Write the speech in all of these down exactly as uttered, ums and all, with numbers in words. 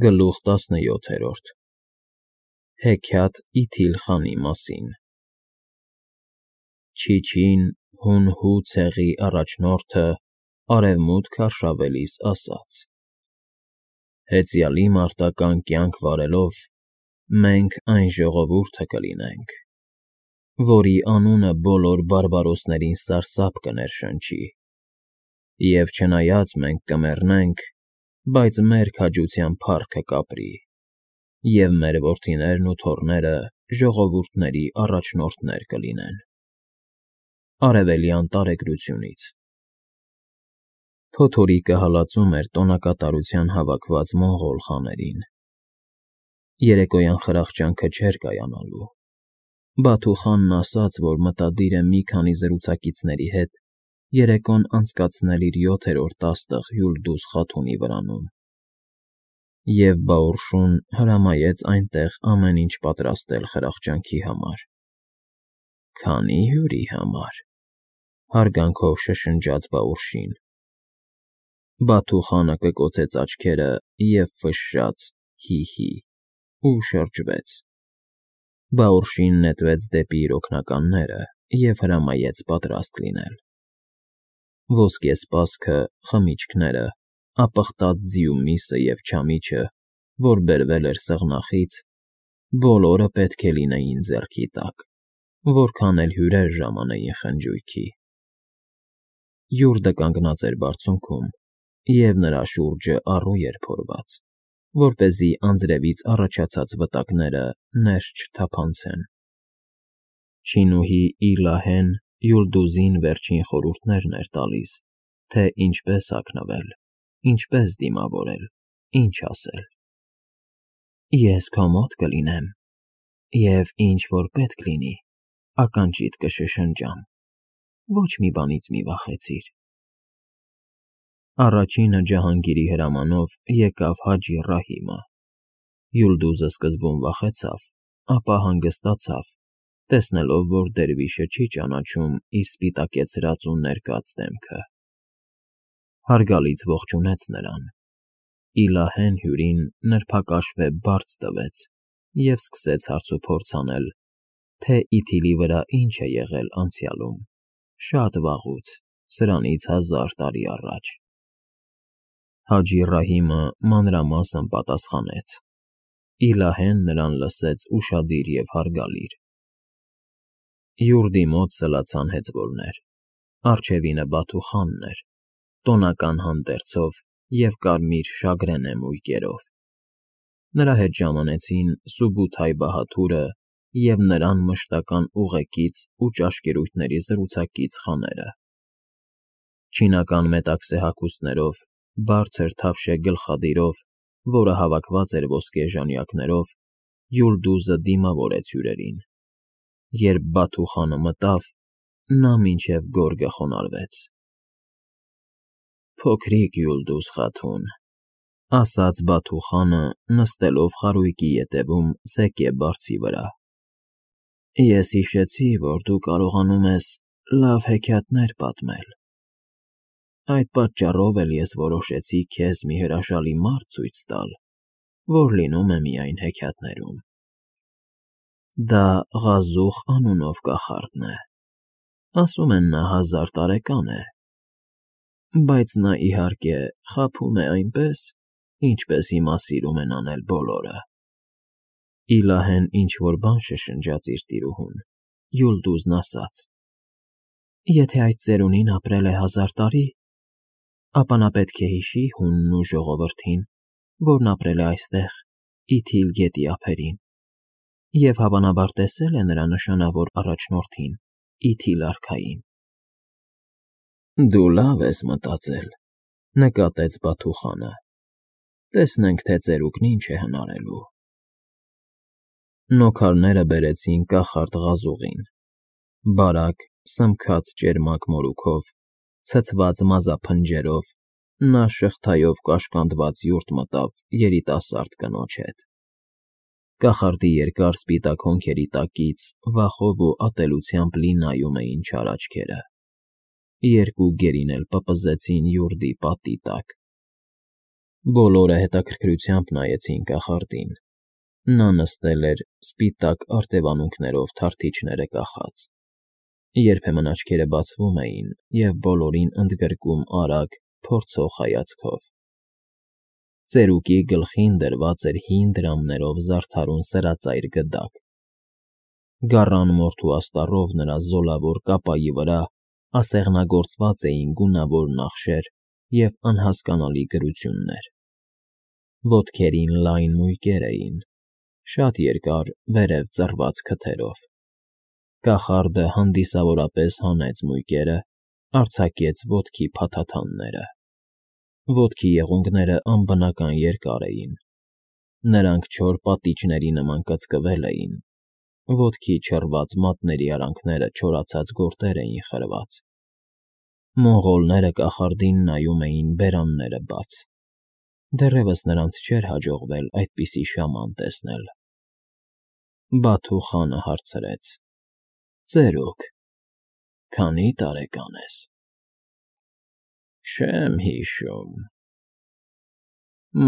Գլուխ տասնյոթերորդ Հեքիաթ Իթիլ խանի մասին Չիչին, հուն-հու ցեղի առաջնորդը, արևմուտք արշավելիս ասաց. Հեծյալի մարտական կյանք վարելով, մենք այն ժողովուրդը կլինենք, որի անունը բոլոր բարբարոսներին սարսափ կներշնչի, և չնայած մենք կմեռնենք, բայց մեր քաջության փառքը կապրի, և մեր որդիներն ու թոռները ժողովուրդների առաջնորդներ կլինեն։ Արևելյան տարեգրությունից Փոթորիկը հալածում էր տոնակատարության հավաքված մոնղոլ խաներին։ Երեկոյան խրախճանքը չէր կայանալու։ Բաթու խանն ասաց, որ մտադիր է մի քանի զրուցակիցների հետ երեկոն անցկացնել իր յոթերորդ աստղ Յուլդուզ խաթունի վրանում, և Բաորշուն հրամայեց այնտեղ ամեն ինչ պատրաստել խրախճանքի համար։ Քանի՞ հյուրի համար, հարգանքով շշնջաց Բաորշին։ Բաթու խանը կկոցեց աչքերը և ֆշշաց հի՛֊հի՛, ու շրջվեց։ Բաորշին նետվեց դեպի իր օգնականները և հրամայեց պատրաստ լինել։ Ոսկեսպասքը, խմիչքները, ապխտած ձիու միսը և չամիչը, որ բերվել էր սեղնախից, բոլորը պետք է լինեին ձեռքի տակ, որքան էլ հյուրեր ժամանեին խնջույքի։ Յուրդը կանգնած էր բարձունքում, և նրա շուրջը առու էր փորված, որպեսզի անձրևից առաջացած վտակները ներս չթափանցեն։ Չինուհի Իլահեն Յուլդուզին վերջին խորհուրդներն էր տալիս, թե ինչպես հագնվել, ինչպես դիմավորել, ինչ ասել։ Ես քո մոտ կլինեմ, և ինչ որ պետք լինի, ականջիդ կշշնջամ, ոչ մի բանից մի վախեցիր։ Առաջինը Ջահանգիրի հրամանով եկավ Հաջի Ռահիմը։ Յուլդուզը սկզբում վախեցավ, ապա հանգստացավ, տեսնելով, որ դերվիշը չի ճանաչում իր սպիտակեցրած ու ներկած դեմքը։ Հարգալից ողջունեց նրան։ Իլահեն հյուրին նրբակաշվե բարձ տվեց և սկսեց հարցուփորձ անել, թե Իթիլի վրա ինչ է եղել անցյալում, շատ վաղուց, սրանից հազար տարի առաջ։ Հաջի Ռահիմը մանրամասն պատասխանեց։ Իլահեն նրան լսեց ուշադիր և հարգալիր։ Յուրդի մոտ սլացան հեծվորներ։ Առջևինը Բաթու խանն էր, տոնական հանդերձով և կարմիր շագրենե մույկերով։ Նրա հետ ժամանեցին Սուբութայ Բահադուրը և նրան մշտական ուղեկից ու ճաշկերույթների զրուցակից խաները։ Չինական մետաքսե հագուստներով, բարձր թավշե գլխադիրով, որը հավաքված էր ոսկե ժանյակներով, Յուլդուզը դիմավորեց հյուրերին։ Երբ Բաթու խանը մտավ, նա մինչև գորգը խոնարհվեց։ Փոքրիկ Յուլդուզ խաթուն, ասաց Բաթու խանը, նստելով խարույկի ետևում սեկե բարձի վրա։ Ես հիշեցի, որ դու կարողանում ես լավ հեքիաթներ պատմել։ Այդ պատճառով էլ ես որոշեցի քեզ մի հրաշալի մարդ ցույց տալ, որ լինում է միայն հեքիաթներում։ Դա Ղազուխ անունով կախարդն է, ասում են նա հազար տարեկան է, բայց նա, իհարկե, խաբում է այնպես, ինչպես հիմա սիրում են անել բոլորը։ Իլահեն ինչ֊որ բան շշնջաց իր տիրուհուն։ Յուլդուզն ասաց. Եթե այդ ծերունին ապրել է հազար տարի, ապա նա պետք է հիշի հունն ու ժողովրդին, որն ապրել է այստեղ, Իթիլ գետի ափերին, և հավանաբար տեսել է նրա նշանավոր առաջնորդին՝ Իթիլ արքային։ Դու լավ ես մտածել, նկատեց Բաթու խանը։ Տեսնենք, թե ծերուկն ինչ է հնարելու։ Նոքարները բերեցին կախարդ Ղազուղին։ Բարակ, սմքած ճերմակ մորուքով, ցցված մազափնջերով, նա շղթայով կաշկանդված յուրտ մտավ երիտասարդ կնոջ հետ։ Կախարդի երկար սպիտակ հոնքերի տակից վախով ու ատելությամբ լի նայում էին չար աչքերը։ Երկու գերին էլ պպզեցին յուրդի պատի տակ։ Բոլորը հետաքրքրությամբ նայեցին կախարդին. նա նստել էր սպիտակ արտևանունքներով թարթիչները կախած, երբեմն աչքերը բացվում էին և բոլորին ընդգրկում արագ, փորձող հայացքով. ծերուկի գլխին դրված էր հին դրամներով զարդարուն սրածայր գդակ, գառան մորթու աստառով նրա զոլավոր կապայի վրա ասեղնագործված էին գունավոր նախշեր և անհասկանալի գրություններ. ոտքերին լայն մույկեր էին, շատ երկար վերև ձռված քթերով. կախարդը հանդիսավորապես հանեց մույկերը, արձակեց ոտքի փաթաթանները. ոտքի եղունգները անբնական երկար էին, նրանք չոր պատիճների նման կծկվել էին, ոտքի չռված մատների արանքները չորացած գորտեր էին խրված. մոնղոլները կախարդին նայում էին բերանները բաց, դեռևս նրանց չէր հաջողվել այդպիսի շաման տեսնել. Բաթու խանը հարցրեց. ծերուկ, քանի՞ տարեկան ես։ Չեմ հիշում,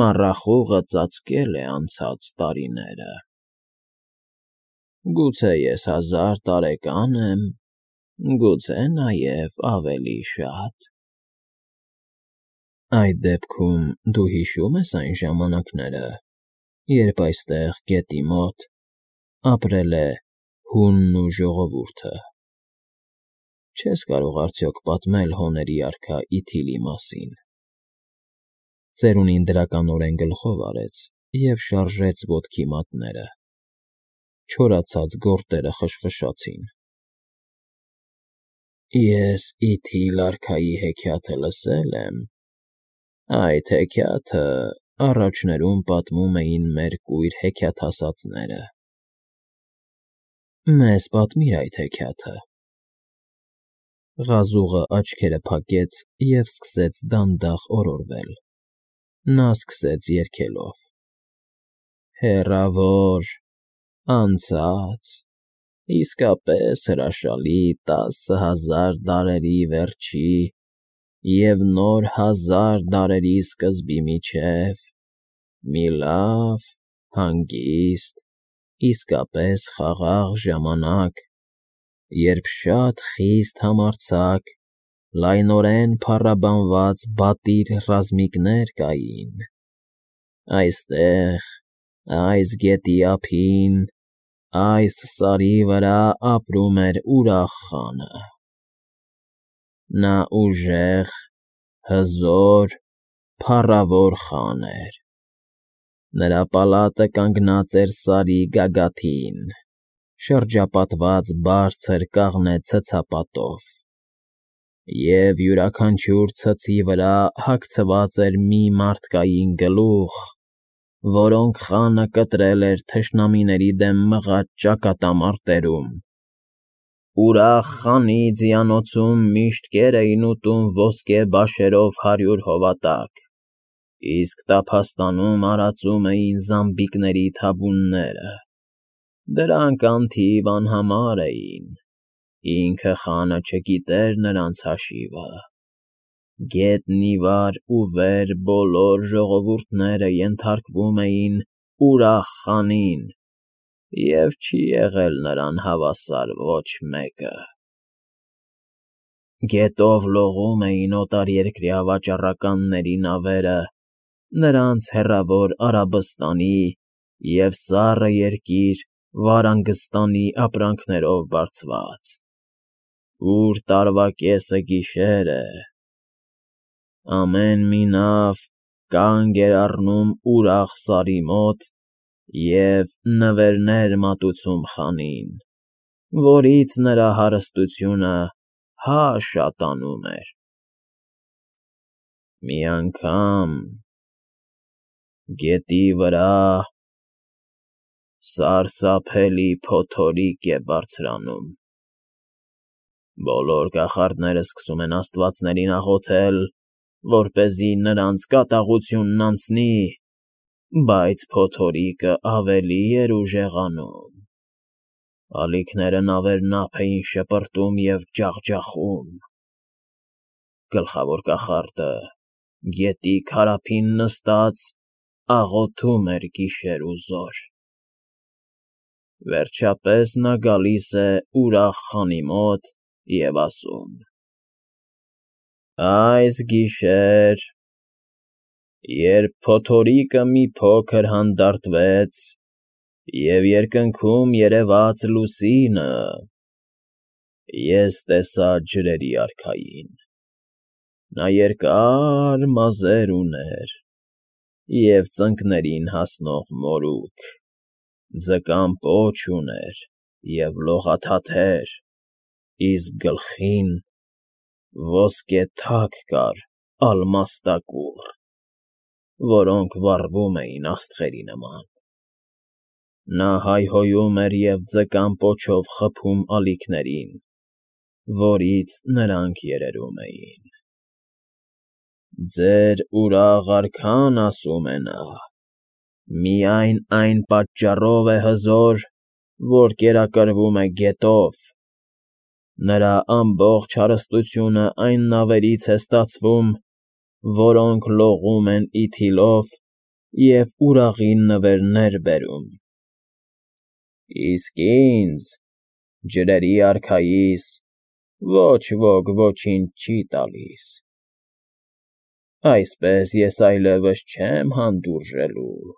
մառախուղը ծածկել է անցած տարիները, գուցե ես հազար տարեկան եմ, գուցե նաև ավելի շատ։ Այդ դեպքում դու հիշո՞ւմ ես այն ժամանակները, երբ այստեղ, գետի մոտ, ապրել է հունն ու ժողովուրդը, չես կարող արդյոք պատմել հոների արքա Իթիլի մասին։ Ծերունին դրականորեն գլխով արեց և շարժեց ոտքի մատները, չորացած գորտերը խշխշացին։ Ես Իթիլ արքայի հեքիաթը լսել եմ, այդ հեքիաթը առաջներում պատմում էին մեր կույր հեքիաթասացները։ Մեզ պատմիր այդ հեքիաթը։ Ղազուղը աչքերը փակեց և սկսեց դանդաղ օրորվել, նա սկսեց երգելով. Հեռավոր, անցած, իսկապես հրաշալի տասը հազար դարերի վերջի և նոր հազար դարերի սկզբի միջև, մի լավ, հանգիստ, իսկապես խաղաղ ժամանակ, երբ շատ խիստ համարձակ, լայնորեն փառաբանված բատիր ռազմիկներ կային, այստեղ, այս գետի ափին, այս սարի վրա ապրում էր ուրախ խանը։ Նա ուժեղ, հզոր, փառավոր խան էր, նրա պալատը կանգնած էր սարի գագաթին, շրջապատված բարձր կաղնե ցցապատով, և յուրաքանչյուր ցցի վրա հագցված էր մի մարդկային գլուխ, որոնք խանը կտրել էր թշնամիների դեմ մղած ճակատամարտերում։ Ուրախ խանի ձիանոցում միշտ կեր էին ուտում ոսկե բաշերով հարյուր հովատակ, իսկ տափաստանում արածում էին զամբիկների թաբունները, դրանք անթիվ անհամար էին, ինքը խանը չգիտեր նրանց հաշիվը։ Գետն ի վար ու վեր բոլոր ժողովուրդները ենթարկվում էին ուրախ խանին, և չի եղել նրան հավասար ոչ մեկը։ Գետով լողում էին օտարերկրյա վաճառականների նավերը, նրանց հեռավոր Արաբստանի և սառը երկիր Վարանգստանի ապրանքներով բարձված, ուր տարվա կեսը գիշեր է, ամեն մի նավ կանգ էր առնում ուրախ սարի մոտ և նվերներ մատուցում խանին, որից նրա հարստությունը հա շատանում էր։ Մի անգամ գետի վրա սարսափելի փոթորիկ է բարձրանում, բոլոր կախարդները սկսում են աստվածներին աղոթել, որպեսզի նրանց կատաղությունն անցնի, բայց փոթորիկը ավելի էր ուժեղանում, ալիքները նավերն ափ էին շպրտում և ջախջախում։ Գլխավոր կախարդը գետի քարափին նստած աղոթում էր գիշեր ու զօր։ Վերջապես նա գալիս է ուրախ խանի մոտ և ասում. «Այս գիշեր, երբ փոթորիկը մի փոքր հանդարտվեց և երկնքում երևաց լուսինը, ես տեսա ջրերի արքային. նա երկար մազեր ուներ և ծնկներին հասնող մորուք, ձկան պոչ ուներ և լողաթաթեր, իսկ գլխին ոսկե թակ կար ալմաստակուռ, որոնք վառվում էին աստղերի նման։ Նա հայհոյում էր և ձկան պոչով խփում ալիքներին, որից նրանք երերում էին։ Ձեր ուրախ արքան, ասում է նա, միայն այն պատճառով է հզոր, որ կերակրվում է գետով, նրա ամբողջ հարստությունը այն նավերից է ստացվում, որոնք լողում են իթիլով և ուրաղին նվերներ բերում, իսկ ինձ, ջրերի արքայիս, ոչ ոք ոչինչ չի տալիս, այսպես ես այլևս չեմ հանդուրժելու,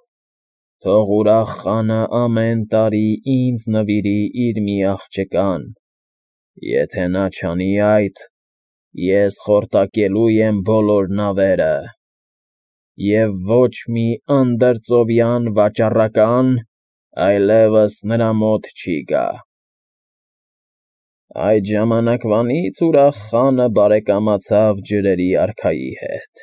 թող ուրախ խանը ամեն տարի ինձ նվիրի իր մի աղջկան, եթե նա չանի այդ, ես խորտակելու եմ բոլոր նավերը, և ոչ մի անդրծովյան վաճառական այլևս նրա մոտ չի գա»։ Այդ ժամանակվանից ուրախ խանը բարեկամացավ ջրերի արքայի հետ։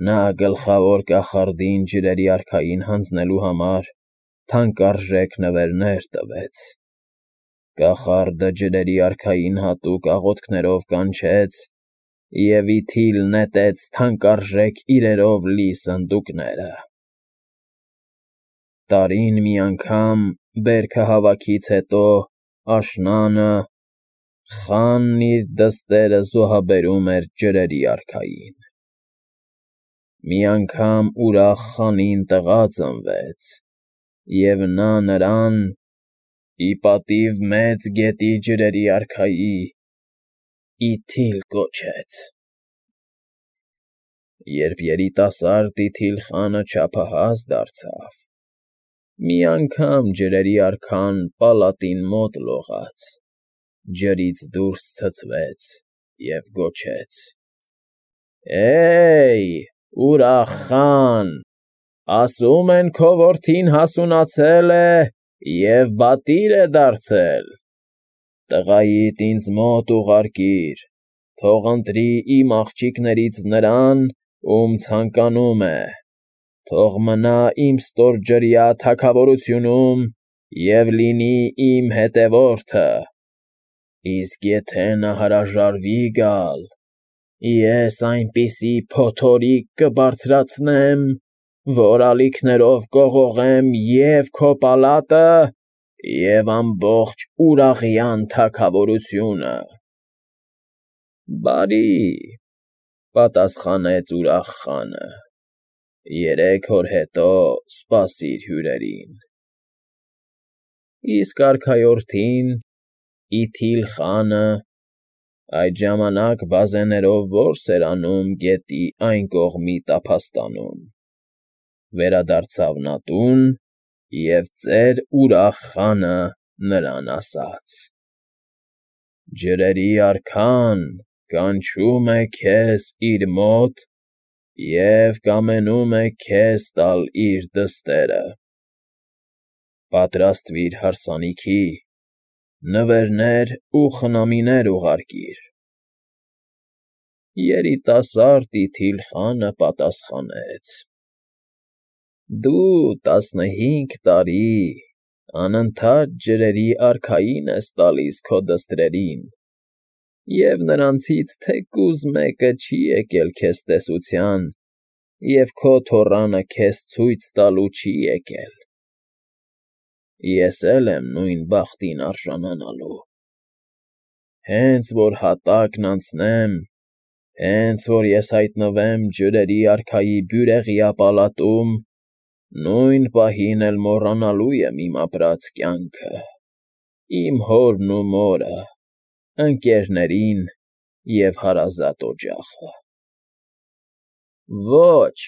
Նա գլխավոր կախարդին ջրերի արքային հանձնելու համար թանկարժեք նվերներ տվեց։ Կախարդը ջրերի արքային հատուկ աղոթքներով կանչեց և իթիլ նետեց թանկարժեք իրերով լի սնդուկները։ Տարին մի անգամ, բերքը հավաքից հետո, աշնանը, խանն իր դստերը զոհաբերում էր ջրերի արքային։ Մի անգամ ուրախ խանին տղա ծնվեց, և նա նրան, ի պատիվ մեծ գետի ջրերի արքայի, Իթիլ կոչեց։ Երբ երիտասարդ Իթիլ խանը չափահաս դարձավ, մի անգամ ջրերի արքան պալատին մոտ լողաց, ջրից դուրս ցցվեց և գոչեց. «Է՜յ, ուրախ խան, ասում են քո որդին հասունացել է և պատիվ է դարձել, տղայիդ ինձ մոտ ուղարկիր, թող ընտրի իմ աղջիկներից նրան, ում ցանկանում է, թող մնա իմ ստորջրյա թագավորությունում և լինի իմ հետևորդը, իսկ եթե նա հրաժարվի գալ, ես այնպիսի փոթորիկ կբարձրացնեմ, որ ալիքներով կողողեմ և քո պալատը, և ամբողջ Ուրաղյան թագավորությունը»։ «Բարի», պատասխանեց ուրախ խանը, «երեք օր հետո սպասիր հյուրերին»։ Իսկ արքայորդին՝ Իթիլ խանը, այդ ժամանակ բազեներով որս էր անում գետի այն կողմի տափաստանում, վերադարձավ նա տուն և ծեր ուրախ խանը նրան ասաց. «Ջրերի արքան կանչում է քեզ իր մոտ և կամենում է քեզ տալ իր դստերը. պատրաստվիր հարսանիքի, նվերներ ու խնամիներ ուղարկիր»։ Երիտասարդ Իթիլ խանը պատասխանեց. «Դու տասնհինգ տարի անընդհատ ջրերի արքային ես տալիս քո դստրերին, և նրանցից թեկուզ մեկը չի եկել քեզ տեսության և քո թոռանը քեզ ցույց տալու չի եկել։ Ես էլ եմ նույն բախտին արժանանալու։ Հենց որ հատակն անցնեմ, Հենց որ ես հայտնվեմ ջրերի արքայի բյուրեղյա պալատում, նույն պահին էլ մոռանալու եմ իմ ապրած կյանքը, իմ հորն ու մորը, ընկերներին և հարազատ օջախը… Ոչ,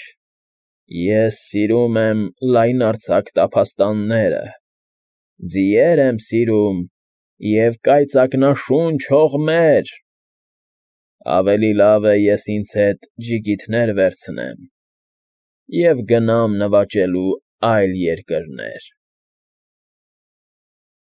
ես սիրում եմ լայնարձակ տափաստանները, ձիեր եմ սիրում և կայծակնաշունչ հողմեր… Ավելի լավ է ես ինձ հետ ջիգիթներ վերցնեմ և գնամ նվաճելու այլ երկրներ։